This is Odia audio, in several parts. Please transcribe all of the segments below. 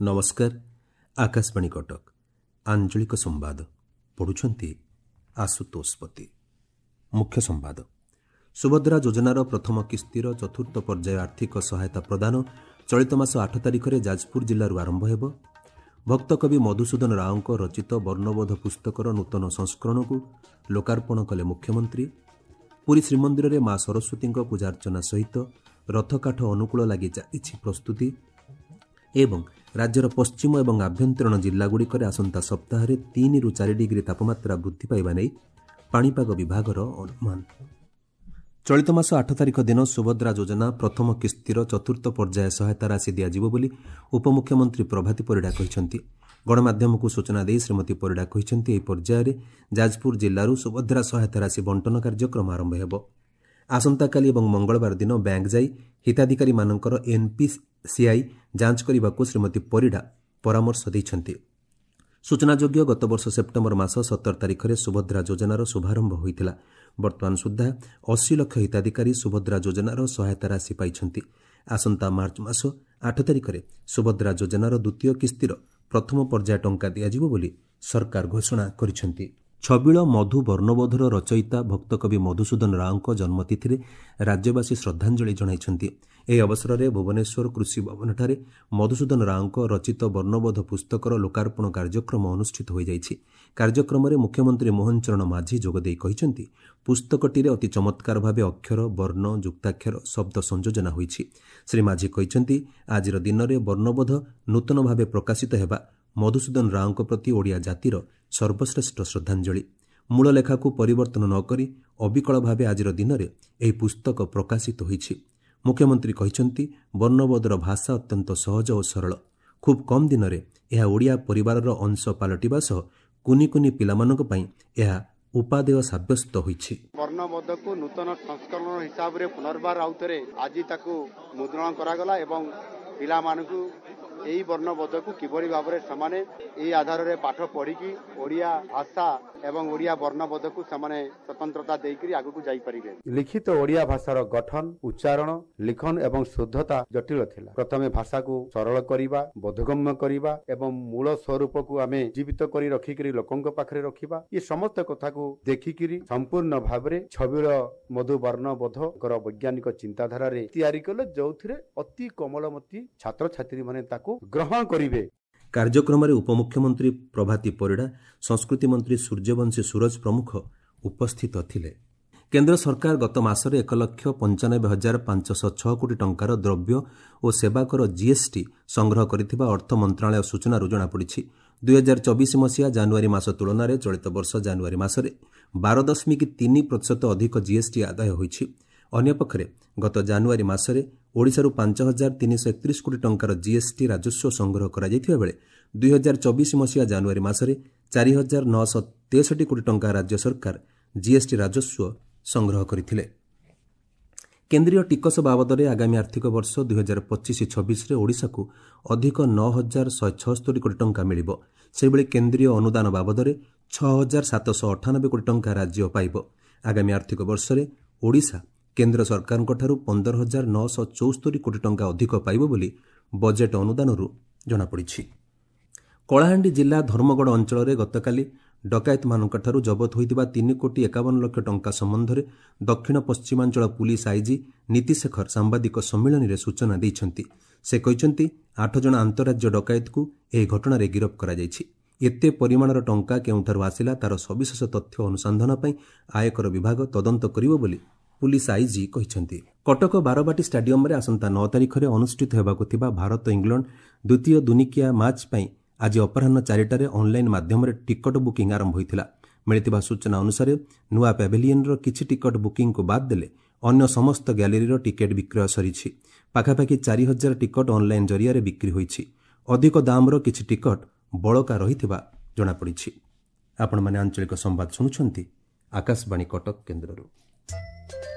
ନମସ୍କାର, ଆକାଶବାଣୀ କଟକ, ଆଞ୍ଚଳିକ ସମ୍ବାଦ ପଢ଼ୁଛନ୍ତି ଆଶୁତୋଷ ପତି। ମୁଖ୍ୟ ସମ୍ବାଦ। ସୁଭଦ୍ରା ଯୋଜନାର ପ୍ରଥମ କିସ୍ତିର ଚତୁର୍ଥ ପର୍ଯ୍ୟାୟ ଆର୍ଥିକ ସହାୟତା ପ୍ରଦାନ ଚଳିତ ମାସ 8 ତାରିଖରେ ଯାଜପୁର ଜିଲ୍ଲାରୁ ଆରମ୍ଭ ହେବ। ଭକ୍ତକବି ମଧୁସୂଦନ ରାଓଙ୍କ ରଚିତ ବର୍ଣ୍ଣବୋଧ ପୁସ୍ତକର ନୂତନ ସଂସ୍କରଣକୁ ଲୋକାର୍ପଣ କଲେ ମୁଖ୍ୟମନ୍ତ୍ରୀ। ପୁରୀ ଶ୍ରୀମନ୍ଦିରରେ ମା ସରସ୍ୱତୀଙ୍କ ପୂଜାର୍ଚ୍ଚନା ସହିତ ରଥକାଠ ଅନୁକୂଳ ଲାଗି ଚାଲିଛି ପ୍ରସ୍ତୁତି। ଏବଂ ରାଜ୍ୟର ପଶ୍ଚିମ ଏବଂ ଆଭ୍ୟନ୍ତରୀଣ ଜିଲ୍ଲାଗୁଡ଼ିକରେ ଆସନ୍ତା ସପ୍ତାହରେ 3ରୁ 4 ଡିଗ୍ରୀ ତାପମାତ୍ରା ବୃଦ୍ଧି ପାଇବା ନେଇ ପାଣିପାଗ ବିଭାଗର ଅନୁମାନ। ଚଳିତ ମାସ 8 ତାରିଖ ଦିନ ସୁଭଦ୍ରା ଯୋଜନା ପ୍ରଥମ କିସ୍ତିର ଚତୁର୍ଥ ପର୍ଯ୍ୟାୟ ସହାୟତା ରାଶି ଦିଆଯିବ ବୋଲି ଉପମୁଖ୍ୟମନ୍ତ୍ରୀ ପ୍ରଭାତୀ ପରିଡ଼ା କହିଛନ୍ତି। ଗଣମାଧ୍ୟମକୁ ସୂଚନା ଦେଇ ଶ୍ରୀମତୀ ପରିଡ଼ା କହିଛନ୍ତି, ଏହି ପର୍ଯ୍ୟାୟରେ ଯାଜପୁର ଜିଲ୍ଲାରୁ ସୁଭଦ୍ରା ସହାୟତା ରାଶି ବଣ୍ଟନ କାର୍ଯ୍ୟକ୍ରମ ଆରମ୍ଭ ହେବ। ଆସନ୍ତାକାଲି ଏବଂ ମଙ୍ଗଳବାର ଦିନ ବ୍ୟାଙ୍କ ଯାଇ ହିତାଧିକାରୀମାନଙ୍କର ଏନ୍ପିସିଆଇ ଯାଞ୍ଚ କରିବାକୁ ଶ୍ରୀମତୀ ପରିଡ଼ା ପରାମର୍ଶ ଦେଇଛନ୍ତି। ସୂଚନାଯୋଗ୍ୟ, ଗତବର୍ଷ ସେପ୍ଟେମ୍ବର ମାସ 17 ତାରିଖରେ ସୁଭଦ୍ରା ଯୋଜନାର ଶୁଭାରମ୍ଭ ହୋଇଥିଲା। ବର୍ତ୍ତମାନ ସୁଦ୍ଧା 80 ଲକ୍ଷ ହିତାଧିକାରୀ ସୁଭଦ୍ରା ଯୋଜନାର ସହାୟତା ରାଶି ପାଇଛନ୍ତି। ଆସନ୍ତା ମାର୍ଚ୍ଚ ମାସ 8 ତାରିଖରେ ସୁଭଦ୍ରା ଯୋଜନାର ଦ୍ୱିତୀୟ କିସ୍ତିର ପ୍ରଥମ ପର୍ଯ୍ୟାୟ ଟଙ୍କା ଦିଆଯିବ ବୋଲି ସରକାର ଘୋଷଣା କରିଛନ୍ତି। ଛବିଳ ମଧୁ ବର୍ଣ୍ଣବୋଧର ରଚୟିତା ଭକ୍ତକବି ମଧୁସୂଦନ ରାଓଙ୍କ ଜନ୍ମତିଥିରେ ରାଜ୍ୟବାସୀ ଶ୍ରଦ୍ଧାଞ୍ଜଳି ଜଣାଇଛନ୍ତି। ଏହି ଅବସରରେ ଭୁବନେଶ୍ୱର କୃଷି ଭବନଠାରେ ମଧୁସୂଦନ ରାଓଙ୍କ ରଚିତ ବର୍ଣ୍ଣବୋଧ ପୁସ୍ତକର ଲୋକାର୍ପଣ କାର୍ଯ୍ୟକ୍ରମ ଅନୁଷ୍ଠିତ ହୋଇଯାଇଛି। କାର୍ଯ୍ୟକ୍ରମରେ ମୁଖ୍ୟମନ୍ତ୍ରୀ ମୋହନ ଚରଣ ମାଝୀ ଯୋଗଦେଇ କହିଛନ୍ତି, ପୁସ୍ତକଟିରେ ଅତି ଚମତ୍କାର ଭାବେ ଅକ୍ଷର, ବର୍ଣ୍ଣ, ଯୁକ୍ତାକ୍ଷର, ଶବ୍ଦ ସଂଯୋଜନା ହୋଇଛି। ଶ୍ରୀ ମାଝୀ କହିଛନ୍ତି, ଆଜିର ଦିନରେ ବର୍ଣ୍ଣବୋଧ ନୂତନ ଭାବେ ପ୍ରକାଶିତ ହେବା ମଧୁସୂଦନ ରାଓଙ୍କ ପ୍ରତି ଓଡ଼ିଆ ଜାତିର ସର୍ବଶ୍ରେଷ୍ଠ ଶ୍ରଦ୍ଧାଞ୍ଜଳି। ମୂଳ ଲେଖାକୁ ପରିବର୍ତ୍ତନ ନ କରି ଅବିକଳ ଭାବେ ଆଜିର ଦିନରେ ଏହି ପୁସ୍ତକ ପ୍ରକାଶିତ ହୋଇଛି। ମୁଖ୍ୟମନ୍ତ୍ରୀ କହିଛନ୍ତି, ବର୍ଣ୍ଣବୋଧର ଭାଷା ଅତ୍ୟନ୍ତ ସହଜ ଓ ସରଳ। ଖୁବ୍ କମ୍ ଦିନରେ ଏହା ଓଡ଼ିଆ ପରିବାରର ଅଂଶ ପାଲଟିବା ସହ କୁନି କୁନି ପିଲାମାନଙ୍କ ପାଇଁ ଏହା ଉପାଦେୟ ସାବ୍ୟସ୍ତ ହୋଇଛି। ବର୍ଣ୍ଣବୋଧକୁ ନୂତନ ସଂସ୍କରଣ ହିସାବରେ ପୁନର୍ବାର ଆଉଥରେ ଆଜି ତାକୁ ମୁଦ୍ରଣ କରାଗଲା ଏବଂ ପିଲାମାନଙ୍କୁ ଏହି ବର୍ଣ୍ଣବୋଧକୁ କିଭଳି ଭାବରେ ସେମାନେ ଏହି ଆଧାରରେ ପାଠ ପଢ଼ିକି ଓଡ଼ିଆ ଭାଷା ଏବଂ ଓଡ଼ିଆ ବର୍ଣ୍ଣବୋଧକୁ ସେମାନେ ସ୍ୱତନ୍ତ୍ରତା ଦେଇକରି ଆଗକୁ ଯାଇପାରିବେ। ଲିଖିତ ଓଡ଼ିଆ ଭାଷାର ଗଠନ, ଉଚ୍ଚାରଣ, ଲିଖନ ଏବଂ ଶୁଦ୍ଧତା ଜଟିଳ ଥିଲା। ପ୍ରଥମେ ଭାଷାକୁ ସରଳ କରିବା, ବୋଧଗମ୍ୟ କରିବା ଏବଂ ମୂଳ ସ୍ୱରୂପକୁ ଆମେ ଜୀବିତ କରି ରଖିକରି ଲୋକଙ୍କ ପାଖରେ ରଖିବା, ଏ ସମସ୍ତ କଥାକୁ ଦେଖିକିରି ସମ୍ପୂର୍ଣ୍ଣ ଭାବରେ ଛବିଳ ମଧୁ ବର୍ଣ୍ଣବୋଧଙ୍କର ବୈଜ୍ଞାନିକ ଚିନ୍ତାଧାରାରେ ତିଆରି କଲେ, ଯେଉଁଥିରେ ଅତି କୋମଳମତି ଛାତ୍ରଛାତ୍ରୀମାନେ ତାକୁ ଗ୍ରହଣ କରିବେ। କାର୍ଯ୍ୟକ୍ରମରେ ଉପମୁଖ୍ୟମନ୍ତ୍ରୀ ପ୍ରଭାତୀ ପରିଡ଼ା, ସଂସ୍କୃତି ମନ୍ତ୍ରୀ ସୂର୍ଯ୍ୟବଂଶୀ ସୂରଜ ପ୍ରମୁଖ ଉପସ୍ଥିତ ଥିଲେ। କେନ୍ଦ୍ର ସରକାର ଗତ ମାସରେ 1,95,506 କୋଟି ଟଙ୍କାର ଦ୍ରବ୍ୟ ଓ ସେବାକର ଜିଏସ୍ଟି ସଂଗ୍ରହ କରିଥିବା ଅର୍ଥ ମନ୍ତ୍ରଣାଳୟ ସୂଚନାରୁ ଜଣାପଡ଼ିଛି। 2024 ମସିହା ଜାନୁଆରୀ ମାସ ତୁଳନାରେ ଚଳିତ ବର୍ଷ ଜାନୁଆରୀ ମାସରେ 12.3% ଅଧିକ ଜିଏସ୍ଟି ଆଦାୟ ହୋଇଛି। ଅନ୍ୟପକ୍ଷରେ ଗତ ଜାନୁଆରୀ ମାସରେ ଓଡ଼ିଶାରୁ 5,331 କୋଟି ଟଙ୍କାର ଜିଏସ୍ଟି ରାଜସ୍ୱ ସଂଗ୍ରହ କରାଯାଇଥିବା ବେଳେ 2024 ମସିହା ଜାନୁଆରୀ ମାସରେ 4,963 କୋଟି ଟଙ୍କା ରାଜ୍ୟ ସରକାର ଜିଏସ୍ଟି ରାଜସ୍ୱ ସଂଗ୍ରହ କରିଥିଲେ। କେନ୍ଦ୍ରୀୟ ଟିକସ ବାବଦରେ ଆଗାମୀ ଆର୍ଥିକ ବର୍ଷ 2025-26ରେ ଓଡ଼ିଶାକୁ ଅଧିକ 9,176 କୋଟି ଟଙ୍କା ମିଳିବ। ସେହିଭଳି କେନ୍ଦ୍ରୀୟ ଅନୁଦାନ ବାବଦରେ 6,798 କୋଟି ଟଙ୍କା ରାଜ୍ୟ ପାଇବ। ଆଗାମୀ ଆର୍ଥିକ ବର୍ଷରେ ଓଡ଼ିଶା କେନ୍ଦ୍ର ସରକାରଙ୍କଠାରୁ 15,974 କୋଟି ଟଙ୍କା ଅଧିକ ପାଇବ ବୋଲି ବଜେଟ୍ ଅନୁଦାନରୁ ଜଣାପଡ଼ିଛି। କଳାହାଣ୍ଡି ଜିଲ୍ଲା ଧର୍ମଗଡ଼ ଅଞ୍ଚଳରେ ଗତକାଲି ଡକାୟତମାନଙ୍କଠାରୁ ଜବତ ହୋଇଥିବା 3 କୋଟି 51 ଲକ୍ଷ ଟଙ୍କା ସମ୍ବନ୍ଧରେ ଦକ୍ଷିଣ ପଶ୍ଚିମାଞ୍ଚଳ ପୁଲିସ ଆଇଜି ନୀତିଶେଖର ସାମ୍ବାଦିକ ସମ୍ମିଳନୀରେ ସୂଚନା ଦେଇଛନ୍ତି। ସେ କହିଛନ୍ତି, 8 ଜଣ ଆନ୍ତଃରାଜ୍ୟ ଡକାୟତକୁ ଏହି ଘଟଣାରେ ଗିରଫ କରାଯାଇଛି। ଏତେ ପରିମାଣର ଟଙ୍କା କେଉଁଠାରୁ ଆସିଲା ତାର ସବିଶେଷ ତଥ୍ୟ ଅନୁସନ୍ଧାନ ପାଇଁ ଆୟକର ବିଭାଗ ତଦନ୍ତ କରିବ ବୋଲି ପୁଲିସ ଆଇଜି କହିଛନ୍ତି। କଟକ ବାରବାଟୀ ଷ୍ଟାଡିୟମରେ ଆସନ୍ତା 9 ତାରିଖରେ ଅନୁଷ୍ଠିତ ହେବାକୁ ଥିବା ଭାରତ ଇଂଲଣ୍ଡ ଦ୍ୱିତୀୟ ଦୁନିକିଆ ମ୍ୟାଚ୍ ପାଇଁ ଆଜି ଅପରାହ୍ନ 4ଟାରେ ଅନ୍ଲାଇନ୍ ମାଧ୍ୟମରେ ଟିକଟ ବୁକିଂ ଆରମ୍ଭ ହୋଇଥିଲା। ମିଳିଥିବା ସୂଚନା ଅନୁସାରେ ନୂଆ ପ୍ୟାଭିଲିୟନର କିଛି ଟିକଟ ବୁକିଂକୁ ବାଦ୍ ଦେଲେ ଅନ୍ୟ ସମସ୍ତ ଗ୍ୟାଲେରୀର ଟିକେଟ୍ ବିକ୍ରୟ ସରିଛି। ପାଖାପାଖି 4,000 ଟିକଟ ଅନ୍ଲାଇନ୍ ଜରିଆରେ ବିକ୍ରି ହୋଇଛି। ଅଧିକ ଦାମର କିଛି ଟିକଟ ବଳକା ରହିଥିବା ଜଣାପଡ଼ିଛି। ଆପଣମାନେ ଆଞ୍ଚଳିକ ସମ୍ବାଦ ଶୁଣୁଛନ୍ତି ଆକାଶବାଣୀ କଟକ କେନ୍ଦ୍ରରୁ।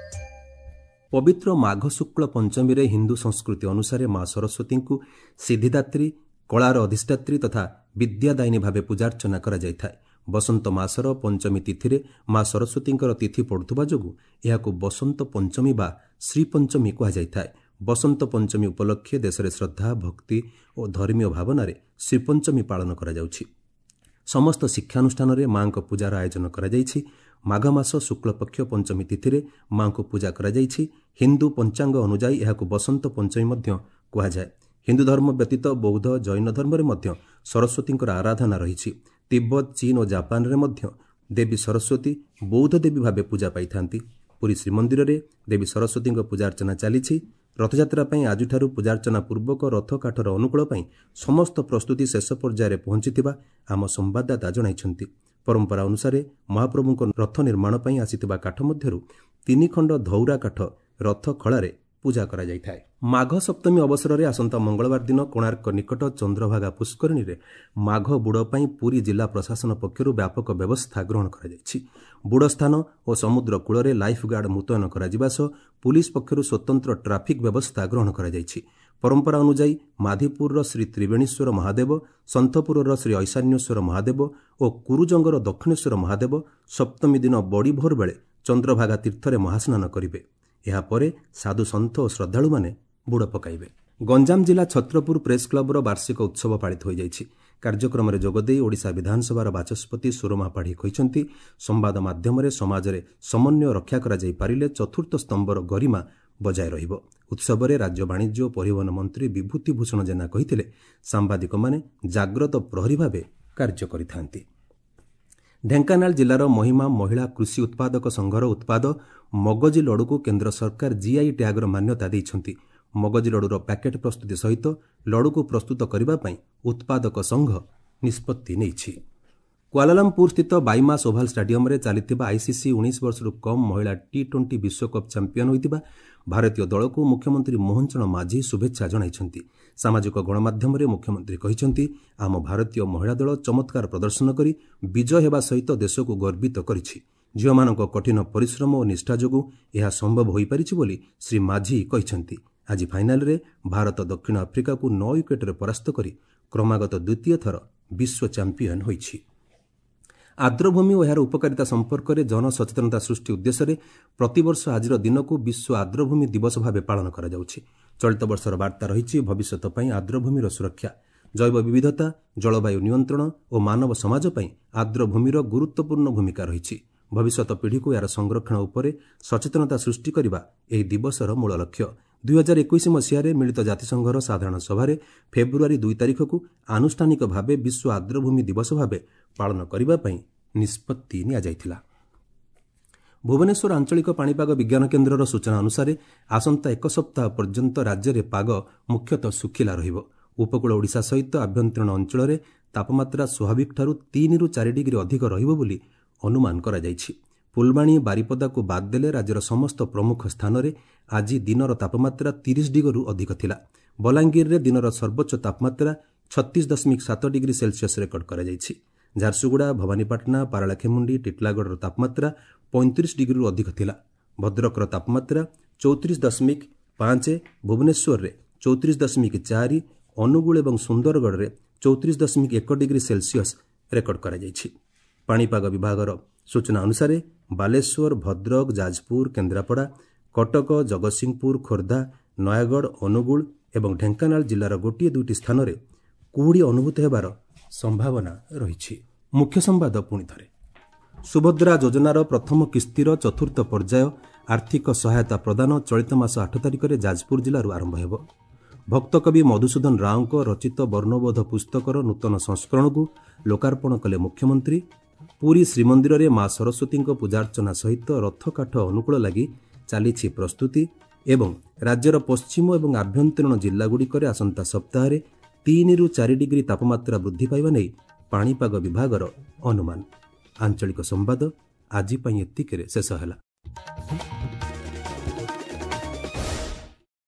ପବିତ୍ର ମାଘ ଶୁକ୍ଳ ପଞ୍ଚମୀରେ ହିନ୍ଦୁ ସଂସ୍କୃତି ଅନୁସାରେ ମା ସରସ୍ୱତୀଙ୍କୁ ସିଦ୍ଧିଦାତ୍ରୀ, କଳାର ଅଧିଷ୍ଠାତ୍ରୀ ତଥା ବିଦ୍ୟାଦାୟିନୀ ଭାବେ ପୂଜାର୍ଚ୍ଚନା କରାଯାଇଥାଏ। ବସନ୍ତ ମାସର ପଞ୍ଚମୀ ତିଥିରେ ମା ସରସ୍ୱତୀଙ୍କର ତିଥି ପଡୁଥିବା ଯୋଗୁଁ ଏହାକୁ ବସନ୍ତ ପଞ୍ଚମୀ ବା ଶ୍ରୀପଞ୍ଚମୀ କୁହାଯାଇଥାଏ। ବସନ୍ତ ପଞ୍ଚମୀ ଉପଲକ୍ଷେ ଦେଶରେ ଶ୍ରଦ୍ଧା, ଭକ୍ତି ଓ ଧର୍ମୀୟ ଭାବନାରେ ଶ୍ରୀପଞ୍ଚମୀ ପାଳନ କରାଯାଉଛି। ସମସ୍ତ ଶିକ୍ଷାନୁଷ୍ଠାନରେ ମା'ଙ୍କ ପୂଜାର ଆୟୋଜନ କରାଯାଇଛି। ମାଘ ମାସ ଶୁକ୍ଳପକ୍ଷ ପଞ୍ଚମୀ ତିଥିରେ ମା'ଙ୍କୁ ପୂଜା କରାଯାଇଛି। ହିନ୍ଦୁ ପଞ୍ଚାଙ୍ଗ ଅନୁଯାୟୀ ଏହାକୁ ବସନ୍ତ ପଞ୍ଚମୀ ମଧ୍ୟ କୁହାଯାଏ। ହିନ୍ଦୁ ଧର୍ମ ବ୍ୟତୀତ ବୌଦ୍ଧ, ଜୈନ ଧର୍ମରେ ମଧ୍ୟ ସରସ୍ୱତୀଙ୍କର ଆରାଧନା ରହିଛି। ତିବ୍ବତ, ଚୀନ ଓ ଜାପାନରେ ମଧ୍ୟ ଦେବୀ ସରସ୍ୱତୀ ବୌଦ୍ଧ ଦେବୀ ଭାବେ ପୂଜା ପାଇଥାନ୍ତି। ପୁରୀ ଶ୍ରୀମନ୍ଦିରରେ ଦେବୀ ସରସ୍ୱତୀଙ୍କ ପୂଜାର୍ଚ୍ଚନା ଚାଲିଛି। ରଥଯାତ୍ରା ପାଇଁ ଆଜିଠାରୁ ପୂଜାର୍ଚ୍ଚନା ପୂର୍ବକ ରଥକାଠର ଅନୁକୂଳ ପାଇଁ ସମସ୍ତ ପ୍ରସ୍ତୁତି ଶେଷ ପର୍ଯ୍ୟାୟରେ ପହଞ୍ଚିଥିବା ଆମ ସମ୍ବାଦଦାତା ଜଣାଇଛନ୍ତି। ପରମ୍ପରା ଅନୁସାରେ ମହାପ୍ରଭୁଙ୍କ ରଥ ନିର୍ମାଣ ପାଇଁ ଆସିଥିବା କାଠ ମଧ୍ୟରୁ 3 ଖଣ୍ଡ ଧଉରା କାଠ ରଥ ଖଳାରେ ପୂଜା କରାଯାଇଥାଏ। ମାଘ ସପ୍ତମୀ ଅବସରରେ ଆସନ୍ତା ମଙ୍ଗଳବାର ଦିନ କୋଣାର୍କ ନିକଟ ଚନ୍ଦ୍ରଭାଗା ପୁଷ୍କରିଣୀରେ ମାଘ ବୁଡ଼ ପାଇଁ ପୁରୀ ଜିଲ୍ଲା ପ୍ରଶାସନ ପକ୍ଷରୁ ବ୍ୟାପକ ବ୍ୟବସ୍ଥା ଗ୍ରହଣ କରାଯାଇଛି। ବୁଡ଼ ସ୍ଥାନ ଓ ସମୁଦ୍ର କୂଳରେ ଲାଇଫ୍ ଗାର୍ଡ ମୁତୟନ କରାଯିବା ସହ ପୁଲିସ୍ ପକ୍ଷରୁ ସ୍ୱତନ୍ତ୍ର ଟ୍ରାଫିକ୍ ବ୍ୟବସ୍ଥା ଗ୍ରହଣ କରାଯାଇଛି। ପରମ୍ପରା ଅନୁଯାୟୀ ମାଧିପୁରର ଶ୍ରୀ ତ୍ରିବେଣୀଶ୍ୱର ମହାଦେବ, ସନ୍ଥପୁରର ଶ୍ରୀ ଐଶାନ୍ୟେଶ୍ୱର ମହାଦେବ ଓ କୁରୁଜଙ୍ଗର ଦକ୍ଷିଣେଶ୍ୱର ମହାଦେବ ସପ୍ତମୀ ଦିନ ବଡ଼ି ଭୋର ବେଳେ ଚନ୍ଦ୍ରଭାଗା ତୀର୍ଥରେ ମହାସ୍ନାନ କରିବେ। ଏହାପରେ ସାଧୁସନ୍ଥ ଓ ଶ୍ରଦ୍ଧାଳୁମାନେ ବୁଡ଼ ପକାଇବେ। ଗଞ୍ଜାମ ଜିଲ୍ଲା ଛତ୍ରପୁର ପ୍ରେସ୍ କ୍ଲବର ବାର୍ଷିକ ଉତ୍ସବ ପାଳିତ ହୋଇଯାଇଛି। କାର୍ଯ୍ୟକ୍ରମରେ ଯୋଗଦେଇ ଓଡ଼ିଶା ବିଧାନସଭାର ବାଚସ୍ପତି ସୁରମା ପାଢ଼ୀ କହିଛନ୍ତି, ସମ୍ବାଦ ମାଧ୍ୟମରେ ସମାଜରେ ସମନ୍ୱୟ ରକ୍ଷା କରାଯାଇପାରିଲେ ଚତୁର୍ଥ ସ୍ତମ୍ଭର ଗରିମା ବଜାୟ ରହିବ। ଉତ୍ସବରେ ରାଜ୍ୟ ବାଣିଜ୍ୟ ଓ ପରିବହନ ମନ୍ତ୍ରୀ ବିଭୂତି ଭୂଷଣ ଜେନା କହିଥିଲେ, ସାମ୍ବାଦିକମାନେ ଜାଗ୍ରତ ପ୍ରହରୀ ଭାବେ କାର୍ଯ୍ୟ କରିଥାନ୍ତି। ଢେଙ୍କାନାଳ ଜିଲ୍ଲାର ମହିମା ମହିଳା କୃଷି ଉତ୍ପାଦକ ସଂଘର ଉତ୍ପାଦ ମଗଜି ଲଡ଼ୁକୁ କେନ୍ଦ୍ର ସରକାର ଜିଆଇ ଟ୍ୟାଗ୍ର ମାନ୍ୟତା ଦେଇଛନ୍ତି। ମଗଜି ଲଡ଼ୁର ପ୍ୟାକେଟ୍ ପ୍ରସ୍ତୁତି ସହିତ ଲଡ଼ୁକୁ ପ୍ରସ୍ତୁତ କରିବା ପାଇଁ ଉତ୍ପାଦକ ସଂଘ ନିଷ୍ପତ୍ତି ନେଇଛି। କୁଆଲାଲମ୍ପୁରସ୍ଥିତ ବାଇମାସ୍ ଓଭାଲ୍ ଷ୍ଟାଡିୟମ୍ରେ ଚାଲିଥିବା ଆଇସିସି 19 ବର୍ଷରୁ କମ୍ ମହିଳା ଟି-20 ବିଶ୍ୱକପ୍ ଚାମ୍ପିୟନ୍ ହୋଇଥିବା ଭାରତୀୟ ଦଳକୁ ମୁଖ୍ୟମନ୍ତ୍ରୀ ମୋହନ ଚରଣ ମାଝୀ ଶୁଭେଚ୍ଛା ଜଣାଇଛନ୍ତି। ସାମାଜିକ ଗଣମାଧ୍ୟମରେ ମୁଖ୍ୟମନ୍ତ୍ରୀ କହିଛନ୍ତି, ଆମ ଭାରତୀୟ ମହିଳା ଦଳ ଚମତ୍କାର ପ୍ରଦର୍ଶନ କରି ବିଜୟ ହେବା ସହିତ ଦେଶକୁ ଗର୍ବିତ କରିଛି। ଝିଅମାନଙ୍କ କଠିନ ପରିଶ୍ରମ ଓ ନିଷ୍ଠା ଯୋଗୁଁ ଏହା ସମ୍ଭବ ହୋଇପାରିଛି ବୋଲି ଶ୍ରୀ ମାଝୀ କହିଛନ୍ତି। ଆଜି ଫାଇନାଲରେ ଭାରତ ଦକ୍ଷିଣ ଆଫ୍ରିକାକୁ 9 ୱିକେଟରେ ପରାସ୍ତ କରି କ୍ରମାଗତ ଦ୍ୱିତୀୟ ଥର ବିଶ୍ୱ ଚାମ୍ପିୟନ୍ ହୋଇଛି। ଆର୍ଦ୍ରଭୂମି ଓ ଏହାର ଉପକାରିତା ସମ୍ପର୍କରେ ଜନସଚେତନତା ସୃଷ୍ଟି ଉଦ୍ଦେଶ୍ୟରେ ପ୍ରତିବର୍ଷ ଆଜିର ଦିନକୁ ବିଶ୍ୱ ଆର୍ଦ୍ରଭୂମି ଦିବସ ଭାବେ ପାଳନ କରାଯାଉଛି। ଚଳିତ ବର୍ଷର ବାର୍ତ୍ତା ରହିଛି ଭବିଷ୍ୟତ ପାଇଁ ଆର୍ଦ୍ରଭୂମିର ସୁରକ୍ଷା, ଜୈବ ବିବିଧତା, ଜଳବାୟୁ ନିୟନ୍ତ୍ରଣ ଓ ମାନବ ସମାଜ ପାଇଁ ଆର୍ଦ୍ରଭୂମିର ଗୁରୁତ୍ୱପୂର୍ଣ୍ଣ ଭୂମିକା ରହିଛି। ଭବିଷ୍ୟତ ପିଢ଼ିକୁ ଏହାର ସଂରକ୍ଷଣ ଉପରେ ସଚେତନତା ସୃଷ୍ଟି କରିବା ଏହି ଦିବସର ମୂଳ ଲକ୍ଷ୍ୟ। 2021 ମସିହାରେ ମିଳିତ ଜାତିସଂଘର ସାଧାରଣ ସଭାରେ ଫେବୃଆରୀ 2 ତାରିଖକୁ ଆନୁଷ୍ଠାନିକ ଭାବେ ବିଶ୍ୱ ଆର୍ଦ୍ରଭୂମି ଦିବସ ଭାବେ ପାଳନ କରିବା ପାଇଁ ନିଷ୍ପତ୍ତି ନିଆଯାଇଥିଲା। ଭୁବନେଶ୍ୱର ଆଞ୍ଚଳିକ ପାଣିପାଗ ବିଜ୍ଞାନ କେନ୍ଦ୍ରର ସୂଚନା ଅନୁସାରେ ଆସନ୍ତା 1 ସପ୍ତାହ ପର୍ଯ୍ୟନ୍ତ ରାଜ୍ୟରେ ପାଗ ମୁଖ୍ୟତଃ ଶୁଖିଲା ରହିବ। ଉପକୂଳ ଓଡ଼ିଶା ସହିତ ଆଭ୍ୟନ୍ତରୀଣ ଅଞ୍ଚଳରେ ତାପମାତ୍ରା ସ୍ୱାଭାବିକଠାରୁ 3ରୁ 4 ଡିଗ୍ରୀ ଅଧିକ ରହିବ ବୋଲି ଅନୁମାନ କରାଯାଇଛି। ଫୁଲବାଣୀ, ବାରିପଦାକୁ ବାଦ୍ ଦେଲେ ରାଜ୍ୟର ସମସ୍ତ ପ୍ରମୁଖ ସ୍ଥାନରେ ଆଜି ଦିନର ତାପମାତ୍ରା 30 ଡିଗ୍ରୀରୁ ଅଧିକ ଥିଲା। ବଲାଙ୍ଗୀରରେ ଦିନର ସର୍ବୋଚ୍ଚ ତାପମାତ୍ରା 36.7 ଡିଗ୍ରୀ ସେଲସିୟସ୍ ରେକର୍ଡ କରାଯାଇଛି। ଝାରସୁଗୁଡ଼ା, ଭବାନୀପାଟଣା, ପାରଳାଖେମୁଣ୍ଡି, ଟିଟଲାଗଡ଼ର ତାପମାତ୍ରା 35 ଡିଗ୍ରୀରୁ ଅଧିକ ଥିଲା। ଭଦ୍ରକର ତାପମାତ୍ରା 34.5, ଭୁବନେଶ୍ୱରରେ 34.4, ଅନୁଗୁଳ ଏବଂ ସୁନ୍ଦରଗଡ଼ରେ 34.1 ଡିଗ୍ରୀ ସେଲସିୟସ୍ ରେକର୍ଡ କରାଯାଇଛି। ପାଣିପାଗ ବିଭାଗର ସୂଚନା ଅନୁସାରେ ବାଲେଶ୍ୱର, ଭଦ୍ରକ, ଯାଜପୁର, କେନ୍ଦ୍ରାପଡ଼ା, କଟକ, ଜଗତସିଂହପୁର, ଖୋର୍ଦ୍ଧା, ନୟାଗଡ଼, ଅନୁଗୁଳ ଏବଂ ଢେଙ୍କାନାଳ ଜିଲ୍ଲାର 1-2 ସ୍ଥାନରେ କୁହୁଡ଼ି ଅନୁଭୂତ ହେବାର ସମ୍ଭାବନା ରହିଛି। ମୁଖ୍ୟ ସମ୍ବାଦ ପୁଣି ଥରେ। ସୁଭଦ୍ରା ଯୋଜନାର ପ୍ରଥମ କିସ୍ତିର ଚତୁର୍ଥ ପର୍ଯ୍ୟାୟ ଆର୍ଥିକ ସହାୟତା ପ୍ରଦାନ ଚଳିତ ମାସ 8 ତାରିଖରେ ଯାଜପୁର ଜିଲ୍ଲାରୁ ଆରମ୍ଭ ହେବ। ଭକ୍ତକବି ମଧୁସୂଦନ ରାଓଙ୍କ ରଚିତ ବର୍ଣ୍ଣବୋଧ ପୁସ୍ତକର ନୂତନ ସଂସ୍କରଣକୁ ଲୋକାର୍ପଣ କଲେ ମୁଖ୍ୟମନ୍ତ୍ରୀ। ପୁରୀ ଶ୍ରୀମନ୍ଦିରରେ ମା ସରସ୍ୱତୀଙ୍କ ପୂଜାର୍ଚ୍ଚନା ସହିତ ରଥକାଠ ଅନୁକୂଳ ଲାଗି ଚାଲିଛି ପ୍ରସ୍ତୁତି। ଏବଂ ରାଜ୍ୟର ପଶ୍ଚିମ ଏବଂ ଆଭ୍ୟନ୍ତରୀଣ ଜିଲ୍ଲାଗୁଡ଼ିକରେ ଆସନ୍ତା ସପ୍ତାହରେ 3ରୁ 4 ଡିଗ୍ରୀ ତାପମାତ୍ରା ବୃଦ୍ଧି ପାଇବା ନେଇ ପାଣିପାଗ ବିଭାଗର ଅନୁମାନ। ଆଞ୍ଚଳିକ ସମ୍ବାଦ ଆଜି ପାଇଁ ଏତିକିରେ ଶେଷ ହେଲା।